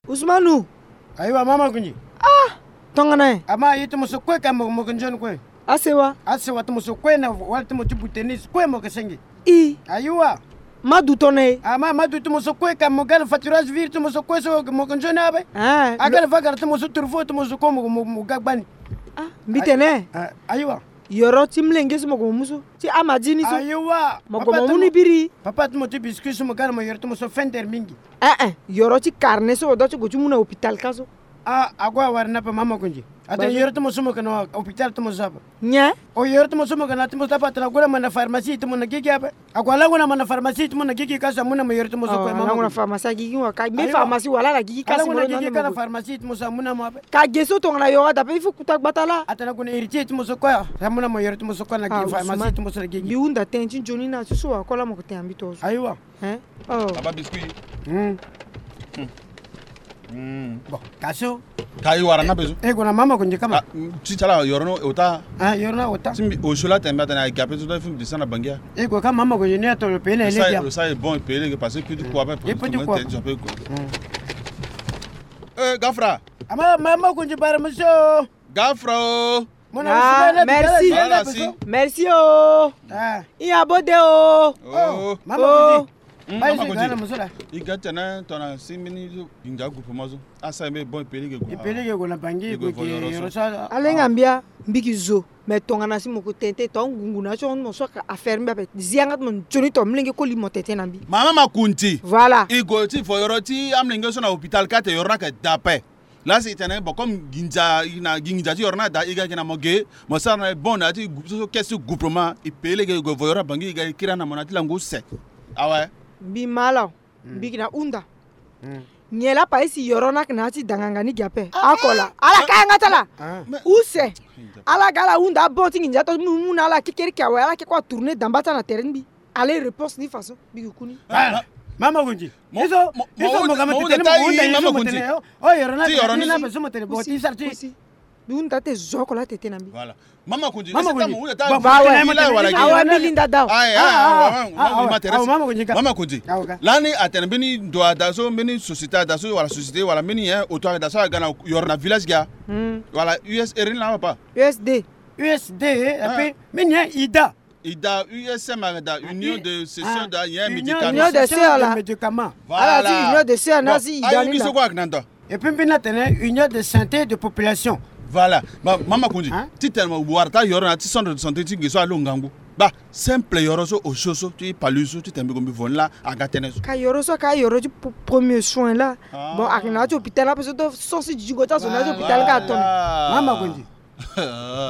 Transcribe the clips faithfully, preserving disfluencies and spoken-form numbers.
Usmanu. Ayiwa, mama Kunji. Ah, tongana ye. Ama ye ti mo so kue ka mo, mo ke nzoni kue. Asewa. Asewa ti mo so kue na wala ti mo ti boutenis kue mo ke senge. I. Ayiwa. Ma du tongana ye. Ama ma du ti mo so kue ka mo ga na faturage vire ti mo so kue so mo ke nzoni abe. Ah, aga na vagara ti mo so turfo ti mo so kue mo, mo, mo ga gbani. Ah, mbi tene. Ah, ayiwa. Yoro ti mlenge so mo gue mo mu so ti amadi ni so. Ayiwa. Mo gue mo mu ni biri. Papa ti mo ti biscuit so mo ga na mo yoro ti mo so fender mingi. Eh eh, yoro ti carnet so mo doit ti gue ti mu na hôpital ka so. Ah, ague awara ni ape mama Kunji. Atene yoro ti mo so mo ke na hôpital ti mo so ape. Nyen? O yoro ti mo so mo ke na ti mo so ape atene ague na mo na pharmacie ti mo na gigi ape. Ague alango na mo na pharmacie ti mo na gigi ka so amu na mo yoro ti mo so kue mama Kunji. Alango na pharmacie agigi wa ka. Mbi pharmacie wala na gigi ka si mo na gigi ka na pharmacie ti mo so amu na mo ape. Ka ge so tongana yoro ada ape il faut kuta gbata la. Atene ague na héritier ti mo so kue amu na mo yoro ti mo so kue na gigi pharmacie ti mo so na gigi. Mbi hunda tënë ti nzoni na so so wa kue la mo ke tene na mbi to so. Ayiwa. Hein? Oh. Papa biscuit. Hmm. Hmm. Bon, ka so. Ka e wara na bezo. E gue na mama Kunji kama. Ah, ti ti ala yoro ni ota. Ah, yoro ni ota. Ti mbi osio la tene mbi atene aga ape so da fu mbi descend na Bangia. E gue ka mama Kunji ni atolo pele lege. Sa e bon e pele lege parce que petit quoi ape. E petit quoi. Eh, Gafra. Ama mama Kunji bara monsieur. Gafra o. Mon ami, ah, merci. Voilà, merci. Merci o. Ah. I ya bode o. Oh, mama Kunji. Hmm, mama Kunji. I ga tene tongana si mbeni nginza groupement so. Asa mbe bon e pele ge gue. E pele ge gue na Bangi gue ke yoro so. Alenga mbia mbi ki zo. Mais tongana si mo ko tene tene to ngungu na so mo so ka affaire mbi ape. Zi yanga ti mo nzoni to mlenge koli mo tene tene na mbi. Mama Makunzi. Voilà. I gue ti vo yoro ti amlenge so na hôpital ka te yoro ni ake da ape. Laa si i tene bon comme nginza i na gi nginza ti yoro ni ada i ga gi na mo ge mo sara na e bon na ya ti so so caisse ti groupement i pele ge i gue vo yoro na Bangi i ga i kiri na mo na ya ti lango use. Awe. Mbi ma ala. Mbi gi na hunda. Nyen laa paye si yoro ni ake na ya ti danganga ni gi ape. Ako la ala ka yanga ti ala. Use. Ala ga ala hunda abon ti nginza to mu mu na ala kekereke awe ala ke kue atourner damba ti ala na tere ti mbi. Allez, réponse ni façon. Bigi kuni. Ah, Mama Kunzi. Mo, iso, mo, iso mo, mo ga mo tete ni mo ta hunda i, Mama Kunzi. Oh, yoro na ti yoro ni na beso mo tene bo ti sara ti. Bi hunda te zo ko la tete na mbi. Voilà. Mama Kunzi. Mama Kunzi. Bon, ba wa. Awa mi linda daw. Ah, ah, Mama Kunzi. Mama Kunzi. Lani atene mbeni ndo ada so mbeni société ada so wala société wala mbeni, hein, auto ada so aga na yoro na village ga. Wala U S R ni la papa. U S D. U S D, et puis mbeni, hein, ida. I da U S M, a da Union de Cession da, il y a un médicament. Union de Cession de médicaments. Voilà. Union de Cession na si i da ni la. Et puis mbi na tene Union de santé de population. Voilà. Mama Kunzi. Ti tene mo wara ta yoro na ti centre de santé ti nge so alo ngangu. Ba simple yoro so osio so ti palu so ti tene mbi gue mbi vo ni la aga tënë so. Ka yoro so ka yoro ti premier soin la. Bon, ake na ya ti hôpital ape so to so si zingo ti azo na ya ti hôpital ka atone. Mama Kunzi.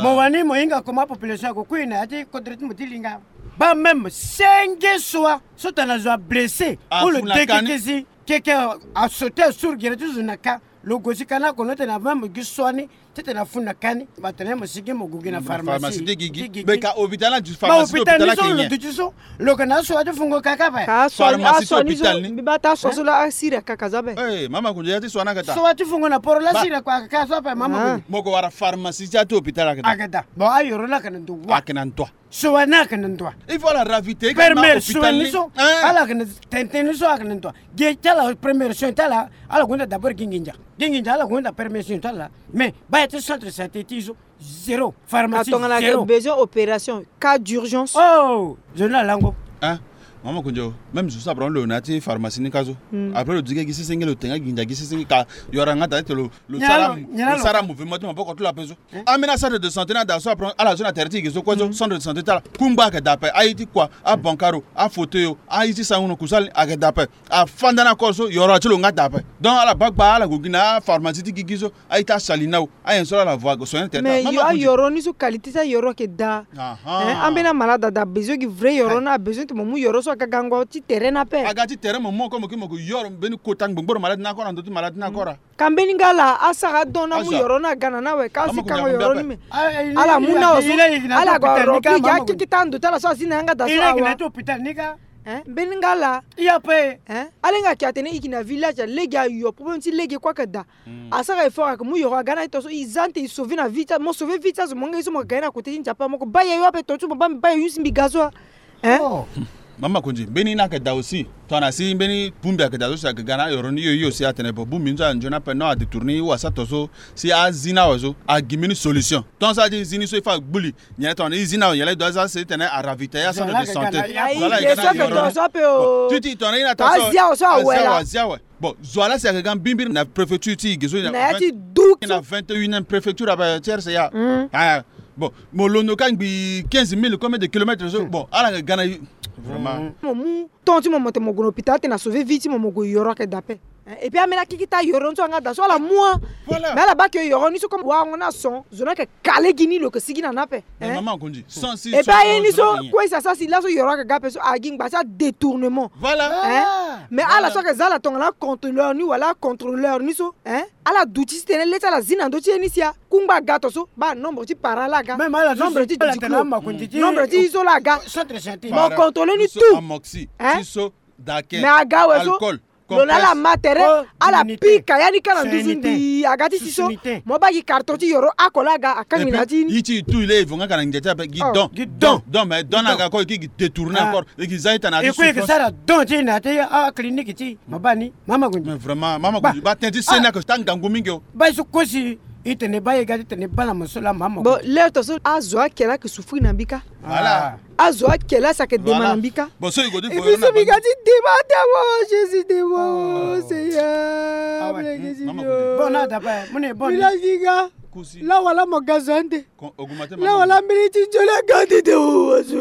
Mo wani mo hinga comment population ako kui na ya ti kodro ti mo ti linga. Ba même senge soi so tana zo ablessé ou lo deke kesi keke asauté asuru gere ti zo na ka. Lo gue si ka na kono tena même gi soi ni ti tena fu na ka ni ba tena mo sigi mo gue gi na pharmacie ti gigi. Mais ka hôpital na pharmacie ti hôpital ni so lo duti so. Lo yeke na aso wa ti fungo kaka ape. Ka aso ni aso ni so mbi baa ta aso so la asiri akaka so ape. Mama Kunzi ya ti so wa ni ake ta. So wa ti fungo na poro la asiri akaka so ape mama Kunzi. Mo yeke wara pharmacie ti ya ti hôpital ake ta. Ake ta. Bon ayoro ni ake na ndo wa. Ake na ndo wa. So wa ni ake na ndo wa. Il faut ala raviter première soin ni so. Ala ake na tene tene ni so ake na ndo wa. Ge ti ala première soin ti ala ala gonda d'abord gi nginza. Gi nginza ala gonda première soin ti ala. Mais baa ya ti centre santé ti so. Zéro. Pharmacie zéro. Atongana ke besoin opération cas d'urgence. Oh, zo ni alango. Hein? Mama Kunzi, même zo so apron lo na ti pharmacie ni ka so. Après lo digi gi sesenge lo tenga gi nda gi sesenge ka yoro nga ta ti lo lo sara lo sara mouvement ti maboko ti lo ape so. Ambeni centre de santé ni ada so apron ala zo na tere ti gi so kue so centre de santé ti ala kungba ake da ape aye ti kua abankaro afauteuil aye ti sango na kusala ni ake da ape. Afanda ni akoro so yoro ti lo nga da ape. Donc ala baa gba ala gue gi na apharmacie ti gigi so. Aye ti asali na o ayen so la la voie ke soigner tene. Mais yo ayoro ni so qualité ti ayoro ayeke daa. Ambeni amalade ada besoin gi vrai yoro ni abesoin ti mo mu yoro so aga gango ti tere ni ape. Aga ti tere mo mu oko mo ke mo ke yoro mbeni kota ngbongboro malade ni akora ndo ti malade ni akora. Ka mbeni nga ala asara adon ni amu yoro ni aga na ni awe ka asi kango yoro ni me. Ala mu na awe so ala gue arobli gi akeke ti ando ti ala so asi na yanga daa so awa. Hein? Mbeni nga ala. I ape. Hein? Ala hinga ayeke atene i yeke na village, alege ayo, problème ti lege kue ayeke daa. Asara effort ayeke mu yoro aga na e tongaso e za ande e sauver na vie ti azo. Mo sauver vie ti azo, mo nga ye so mo ga ye na côté ti Nzapa, mo ko baa yayo ape tongaso, mo baa mbi baa yayo si mbi ga so a. Hein? Mama Konzi, mbeni ni ayeke daa aussi. Tongana si mbeni bongbi ayeke daa so si ayeke ga na ayoro ni, yo yo si atene bon, bongbi ni so anzoni ape, non, adétourner ou asara tongaso, si azi ni awe so agi mbeni solution. Tant so adi zi ni so il faut agbu li. Nyen tongana e zi ni awe, nyen la e doit za si titene aravitailler acentre de santé. Voilà, ye so ayeke tongaso ape o. Bon, ti ti tongana e na tongaso azi awe so awe la. Azi awe. Bon, zo ala si ayeke ga mbirimbiri na préfecture ti e ge so na ya ti du so. Na vingt et unième préfecture ape ti R C A. Ah, bon, mo londo ka ngbii quinze mille, combien de kilomètres so? Bon, ala yeke ga na vraiment. Mo mu temps ti mo, mo tene mo gue na hôpital, atene na sauver vie ti mo, mo gue yoro ayeke daa ape. Hein, et puis ameni akiki ti ayoro ni so anga daa so ala mu a. Voilà. Mais ala baa ke yoro ni so comme warango ni ason, zo ni ayeke kale gi ni, lo yeke sigi na ni ape. Hein? Mama Konzi, sans si et puis aye ni so kue si asara si laso yoro ayeke ga ape so, agi ngba ti adétournement. Voilà. Hein? Mais ala so ayeke za ala tongana acontrôleur ni wala acontrôleur ni so, hein, ala duti titene le ti ala zi na ndö ti ye ni si akungba aga tongaso, baa nombre ti para laa aga, nombre ti diplôme, nombre ti ye so laa aga. Mo contrôler ni tout. Hein? Mais aga awe so, lo na ala ma tere, ala pika ya ni ka na nduzu mbi aga ti si so. Mo baa gi carton ti yoro oko laa aga, akangbi na ya ti ni. Ye ti e tout, il est évoqué nga ka na ngia ti ape, gi don. Gi don. Don, mais don ni aga kue e ki gi détourner encore. E ki za e tana ti souffrance. E kue e ke sara don ti e na ya ti aclinique ti e. Mo baa ni, Mama Konzi. Mais vraiment, Mama Konzi, baa tënë ti seni ayeke taa ngangu mingi o. Baa e so kosi. I tene baa e ga ti tene baa na mo so laa, Mama Konzi. Bon, l'heure tongaso azo ake laa ayeke souffrir na mbi kâ. Voilà. Azo ake laa si ayeke dema na mbi kâ. Bon, so e go ti, e biso mbi ga ti dema ate awo, Jésus dema, Seigneur, mbi lege ti mbi o. Bon, na dapa, mo ne bon. Mbi laa mbi ga. Laa wala mo ga zo ande. Laa wala mbeni ti nzoni aga ande te o, azo.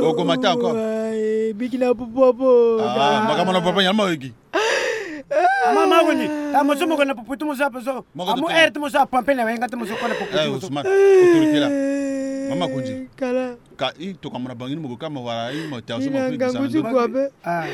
Aye, mbi gi na popo apo. Ah, maka mo na popo, nyen mo yeke gi. Ama, Mama Konzi, ta mo so mo ko na popo ti mo so ape so. Amu air ti mo so apampe na wenga ti mo so ko na popo ti mo so. Eh, Ousmane, autorité laa. Mama Konzi. Kala. Ka i tokua mo na bangi ni mo ko ka mo wara i mo tia so mo pe ngangu ti kua be. Ah.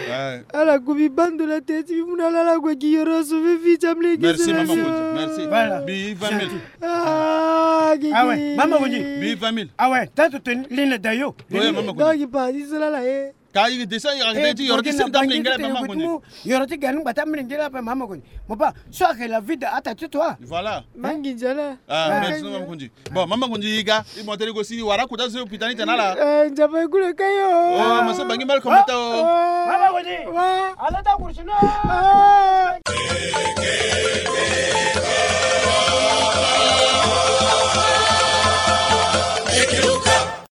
Ala gue mbi baa ndo na tënë ti mbi mu na ala, ala gue gi yoro so fo fo ti amolenge. Merci, Mama Konzi. Merci. Voilà. Mbi vingt mille. Ah, gigi. Ah ouais, Mama Konzi. Mbi vingt mille. Ah ouais, tant que tu es ligne d'ailleurs. Oui, Mama Konzi. Donc, il parle, il se la, là, eh. Ka i descend, i arrête ti yoro ti sini ti amolenge la ape, Mama Konzi. Yoro ti ga ni ngba ti amolenge la ape, Mama Konzi. Mo baa so ayeke la vie de ata ti toi. Voilà. Mangi nzala. Ah, merci, Mama Konzi. Bon, Mama Konzi, i ga, i mo tene ko si wara kota so hôpital ni tene ala. Eh, Nzapa e kule ka yo. Oh, mo so bangi mal komata o. Mama Konzi. Wa. Ala ta kursi no. Ah.